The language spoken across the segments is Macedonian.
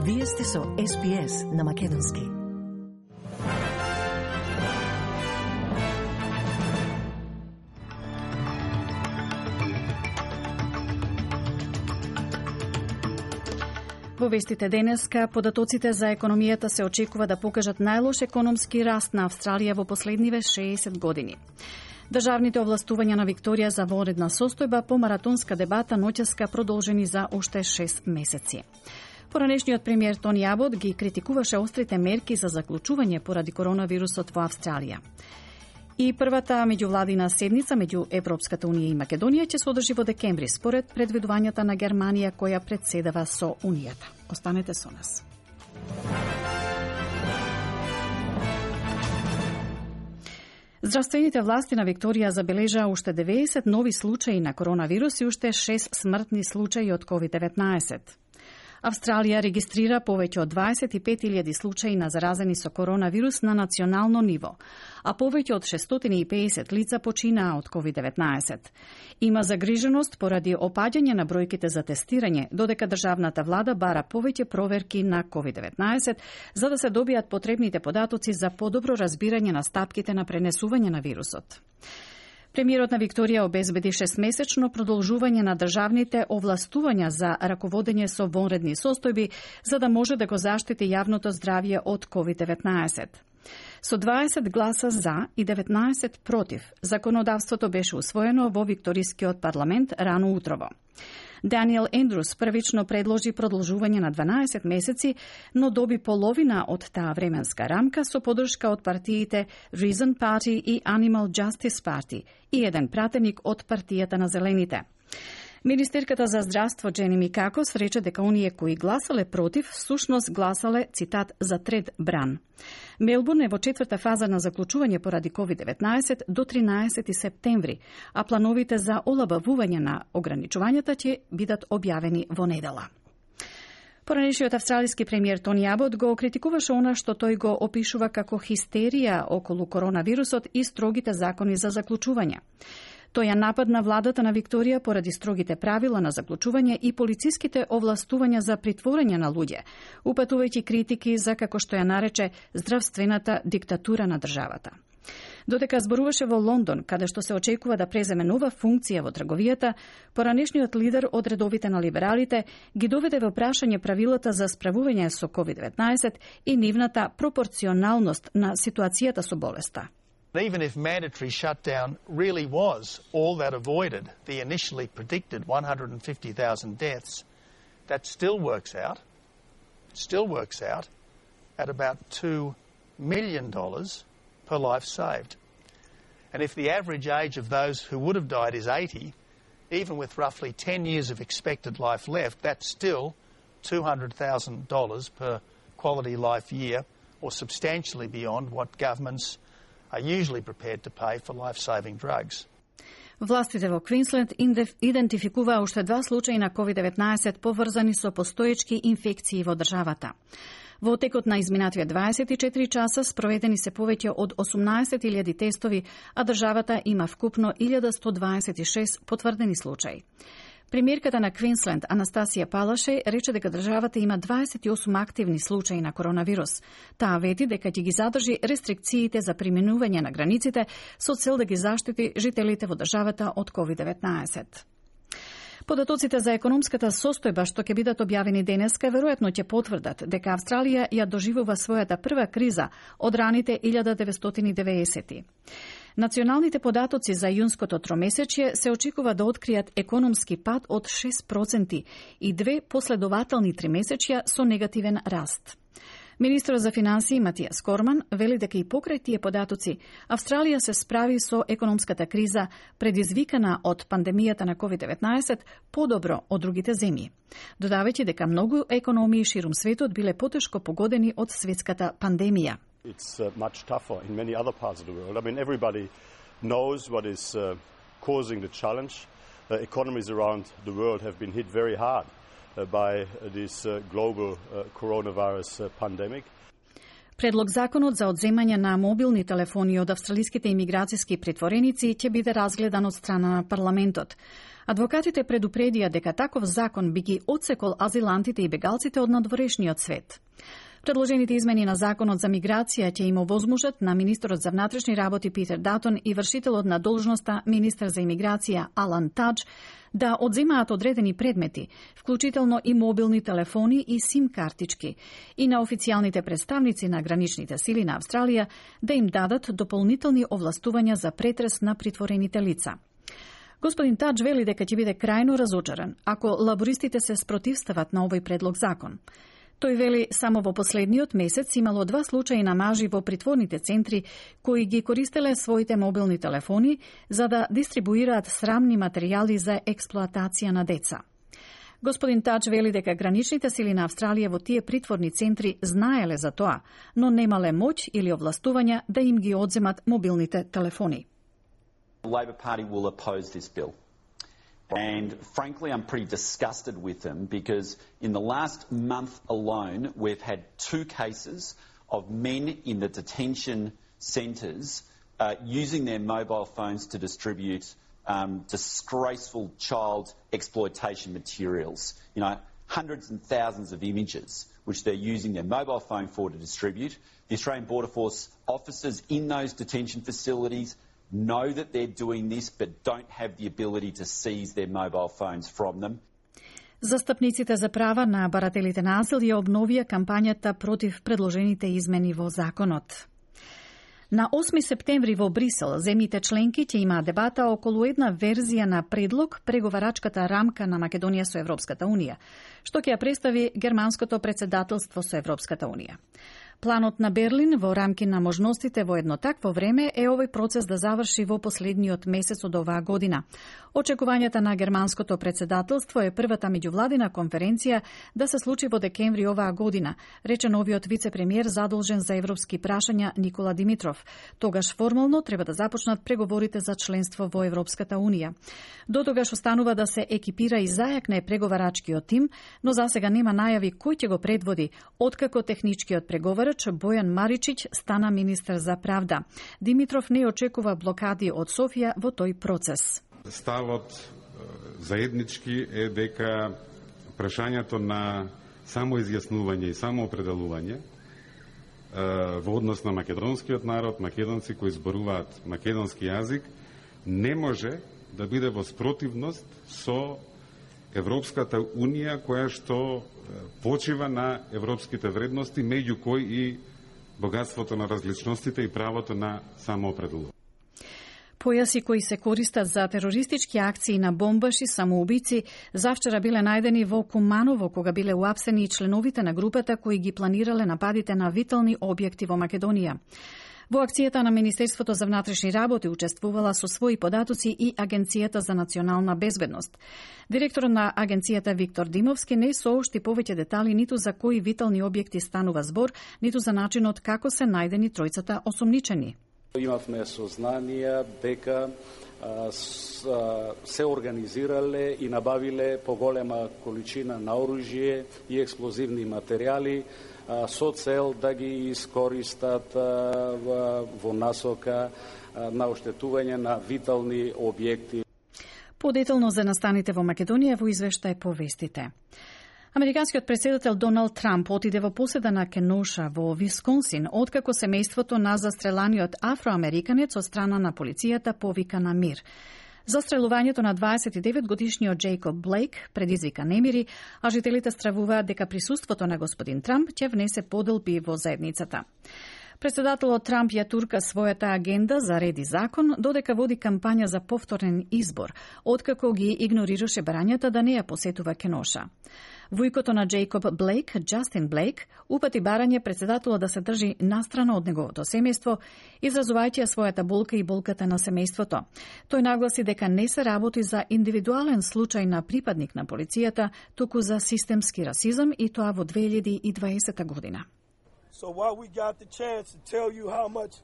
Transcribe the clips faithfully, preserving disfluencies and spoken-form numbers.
Вие сте со Ес Би Ес на Македонски. Во вестите денеска, податоците за економијата се очекува да покажат најлош економски раст на Австралија во последниве шеесет години. Државните овластувања на Викторија за вонредна состојба по маратонска дебата ноќеска продолжени за уште шест месеци. Поранешниот премиер Тони Абот ги критикуваше острите мерки за заклучување поради коронавирусот во Австралија. И првата меѓувладина седница меѓу Европската унија и Македонија ќе се одржи во декември, според предвидувањата на Германија која претседава со Унијата. Останете со нас. Здравствените власти на Викторија забележаа уште деветдесет нови случаи на коронавирус и уште шест смртни случаи од ковид деветнаесет. Австралија регистрира повеќе од дваесет и пет илјади случаи на заразени со коронавирус на национално ниво, а повеќе од шестстотини и педесет лица починаа од ковид деветнаесет. Има загриженост поради опаѓање на бројките за тестирање, додека државната влада бара повеќе проверки на ковид деветнаесет за да се добијат потребните податоци за подобро разбирање на стапките на пренесување на вирусот. Премиерот на Викторија обезбеди шестмесечно продолжување на државните овластувања за раководење со вонредни состојби, за да може да го заштити јавното здравје од ковид деветнаесет. Со дваесет гласа за и деветнаесет против, законодавството беше усвоено во Викторискиот парламент рано утрово. Даниел Ендрус првично предложи продолжување на дванаесет месеци, но доби половина од таа временска рамка со подршка од партиите Reason Party и Animal Justice Party и еден пратеник од партијата на Зелените. Министерката за здравство Джени Микакос рече дека оние кои гласале против, всушност гласале, цитат, за трет бран. Мелбурн е во четврта фаза на заклучување поради ковид деветнаесет до тринаесети септември, а плановите за олабавување на ограничувањата ќе бидат објавени во недела. Поранешниот австралиски премиер Тони Абот го критикуваше она што тој го опишува како хистерија околу коронавирусот и строгите закони за заклучување. Тој ја нападна владата на Викторија поради строгите правила на заклучување и полициските овластувања за притворање на луѓе, упатувајќи критики за, како што ја нарече, здравствената диктатура на државата. Додека зборуваше во Лондон, каде што се очекува да преземе нова функција во трговијата, поранешниот лидер од редовите на либералите ги доведе во прашање правилата за справување со ковид деветнаесет и нивната пропорционалност на ситуацијата со болеста. Even if mandatory shutdown really was all that avoided the initially predicted one hundred fifty thousand deaths, that still works out, still works out at about two million dollars per life saved. And if the average age of those who would have died is eighty, even with roughly ten years of expected life left, that's still two hundred thousand dollars per quality life year, or substantially beyond what governments are usually prepared to pay for life-saving drugs. Властите во Квинсленд идентификуваа уште два случаи на ковид деветнаесет поврзани со постоечки инфекции во државата. Во текот на изминативе дваесет и четири часа спроведени се повеќе од осумнаесет илјади тестови, а државата има вкупно илјада сто дваесет и шест потврдени случаи. Премиерката на Квинсленд, Анастасија Палаше, рече дека државата има дваесет и осум активни случаи на коронавирус. Таа вети дека ќе ги задржи рестрикциите за применување на границите со цел да ги заштити жителите во државата од ковид деветнаесет. Податоците за економската состојба што ќе бидат објавени денеска веројатно ќе потврдат дека Австралија ја доживува својата прва криза од раните илјада деветстотини и деветдесети. Националните податоци за јунското тромесечје се очекува да откријат економски пад од шест проценти и две последователни тримесечја со негативен раст. Министрот за финансии Матијас Корман вели дека и покрај тие податоци Австралија се справи со економската криза предизвикана од пандемијата на ковид деветнаесет подобро од другите земји, додавајќи дека многу економии ширум светот биле потешко погодени од светската пандемија. It's uh, much tougher in many other parts of the world. I mean, everybody knows what is uh, causing the challenge. Uh, economies around the world have been hit very hard uh, by uh, this uh, global uh, coronavirus uh, pandemic. Предлог законот за одземање на мобилни телефони од австралиските имиграцијски притвореници ќе биде разгледан од страна на парламентот. Адвокатите предупредија дека таков закон би ги отсекол азилантите и бегалците од надворешниот свет. Предложените измени на законот за миграција ќе им овозможат на министерот за внатрешни работи Питер Датон и вршителот на должноста министер за имиграција Алан Тадж да одземаат одредени предмети, вклучително и мобилни телефони и сим картички, и на официјалните представници на граничните сили на Австралија да им дадат дополнителни овластувања за претрес на притворените лица. Господин Тадж вели дека ќе биде крајно разочаран ако лабористите се спротивстават на овој предлог закон. Тој вели само во последниот месец имало два случаи на мажи во притворните центри кои ги користеле своите мобилни телефони за да дистрибуираат срамни материјали за експлоатација на деца. Господин Тадж вели дека граничните сили на Австралија во тие притворни центри знаеле за тоа, но немале моќ или овластувања да им ги одземат мобилните телефони. The Labor Party will oppose this bill. And frankly, I'm pretty disgusted with them because in the last month alone, we've had two cases of men in the detention centres uh, using their mobile phones to distribute um, disgraceful child exploitation materials. You know, hundreds and thousands of images which they're using their mobile phone for to distribute. The Australian Border Force officers in those detention facilities know that they're doing this, but don't have the ability to seize their mobile phones from them. Застапниците за права на барателите на азил ја обновија кампањата против предложените измени во законот. На осми септември во Брисел, земјите членки ќе имаат дебата околу една верзија на предлог преговарачката рамка на Македонија со Европската Унија, што ќе ја представи германското претседателство со Европската Унија. Планот на Берлин во рамки на можностите во едно такво време е овој процес да заврши во последниот месец од оваа година. Очекувањата на германското претседателство е првата меѓувладина конференција да се случи во декември оваа година, рече новиот вице-премиер задолжен за европски прашања Никола Димитров. Тогаш формално треба да започнат преговорите за членство во Европската Унија. До тогаш останува да се екипира и зајакне преговарачкиот тим, но засега нема најави кој ќе го предводи, откако техничкиот преговар Бојан Маричиќ стана министер за правда. Димитров не очекува блокади од Софија во тој процес. Ставот заеднички е дека прашањето на самоизјаснување и самоопределување во однос на македонскиот народ, македонци кои зборуваат македонски јазик, не може да биде во спротивност со Европската Унија, која што почива на европските вредности, меѓу кои и богатството на различностите и правото на самоопределување. Појаси кои се користат за терористички акции на бомбаши самоубици завчера биле најдени во Куманово, кога биле уапсени и членовите на групата кои ги планирале нападите на витални објекти во Македонија. Во акцијата на Министерството за внатрешни работи учествувала со своји податоци и Агенцијата за национална безбедност. Директорот на агенцијата Виктор Димовски не соопшти повеќе детали ниту за кои витални објекти станува збор, ниту за начинот како се најдени тројцата осомничени. Имавме сознанија дека а, с, а, се организирале и набавиле поголема количина на оружје и експлозивни материјали со цел да ги искористат во насока на оштетување на витални објекти. Подетално за настаните во Македонија во извештај повестите. Американскиот претседател Доналд Трамп отиде во поседа на Кеноша во Висконсин, откако семејството на застреланиот афроамериканец од страна на полицијата повика на мир. Застрелувањето на дваесет и девет годишниот Джейкоб Блейк предизвика немири, а жителите стравуваат дека присуството на господин Трамп ќе внесе поделби во заедницата. Председателот Трамп ја турка својата агенда за ред и закон, додека води кампања за повторен избор, откако ги игнорираше барањата да не ја посетува Кеноша. Вујкото на Джейкоб Блейк, Джастин Блейк, упати барање председателот да се држи настрана од неговото семејство, изразувајќи својата болка и болката на семејството. Тој нагласи дека не се работи за индивидуален случај на припадник на полицијата, туку за системски расизам, и тоа во две илјади и дваесета година. So while we got the chance to tell you how much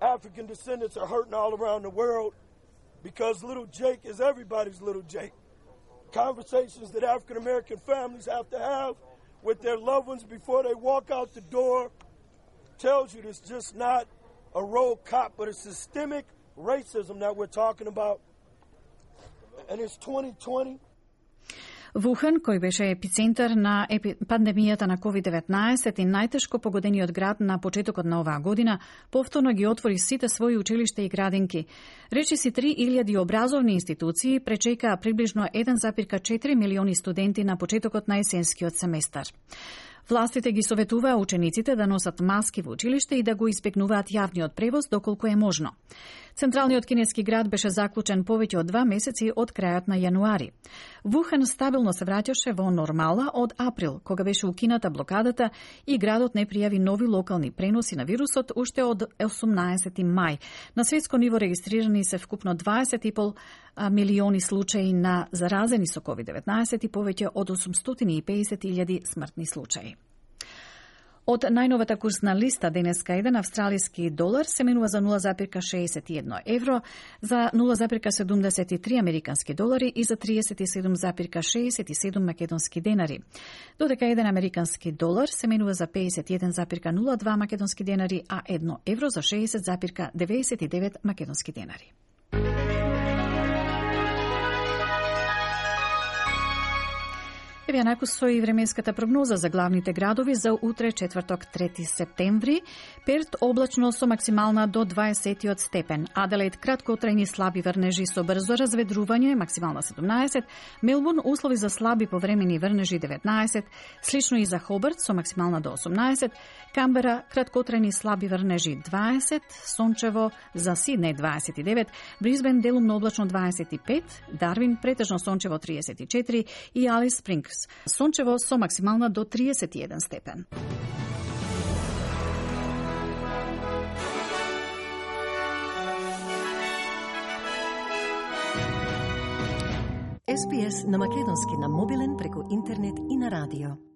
African descendants are hurting all around the world, because little Jake is everybody's little Jake. Conversations that African American families have to have with their loved ones before they walk out the door tells you it's just not a rogue cop, but a systemic racism that we're talking about. and it's twenty twenty. Вухан, кој беше епицентар на епи... пандемијата на ковид деветнаесет и најтешко погодениот град на почетокот на оваа година, повторно ги отвори сите своји училишта и градинки. Речиси три илјади образовни институции пречекаа приближно еден зарез четири милиони студенти на почетокот на есенскиот семестар. Властите ги советуваа учениците да носат маски во училиште и да го избегнуваат јавниот превоз доколку е можно. Централниот кинески град беше заклучен повеќе од два месеци од крајот на јануари. Вухан стабилно се враќаше во нормала од април, кога беше укината блокадата и градот не пријави нови локални преноси на вирусот уште од осумнаесети мај. На светско ниво регистрирани се вкупно дваесет и пол милиони случаи на заразени со ковид деветнаесет и повеќе од осумстотини и педесет илјади смртни случаи. Од најновата курсна листа денеска еден австралиски долар се менува за нула зарез шеесет и едно евро, за нула зарез седумдесет и три американски долари и за триесет и седум зарез шеесет и седум македонски денари. Додека еден американски долар се менува за педесет и еден зарез нула два македонски денари, а едно евро за шеесет зарез деветдесет и девет македонски денари. Еве накусо и временската прогноза за главните градови за утре, четврток, трети септември. Перт облачно со максимална до дваесет степен. Аделаид краткотрајни слаби врнежи со брзо разведрување, максимална седумнаесет. Мелбурн услови за слаби повремени врнежи деветнаесет. Слично и за Хобарт со максимална до осумнаесет. Камбера краткотрајни слаби врнежи дваесет. Сончево за Сиднеј дваесет и девет. Брисбен делумно облачно дваесет и пет. Дарвин претежно сончево триесет и четири и Алис Спрингс сончево со максимална до триесет и еден степен. Ес Би Ес на македонски на мобилен преку интернет и на радио.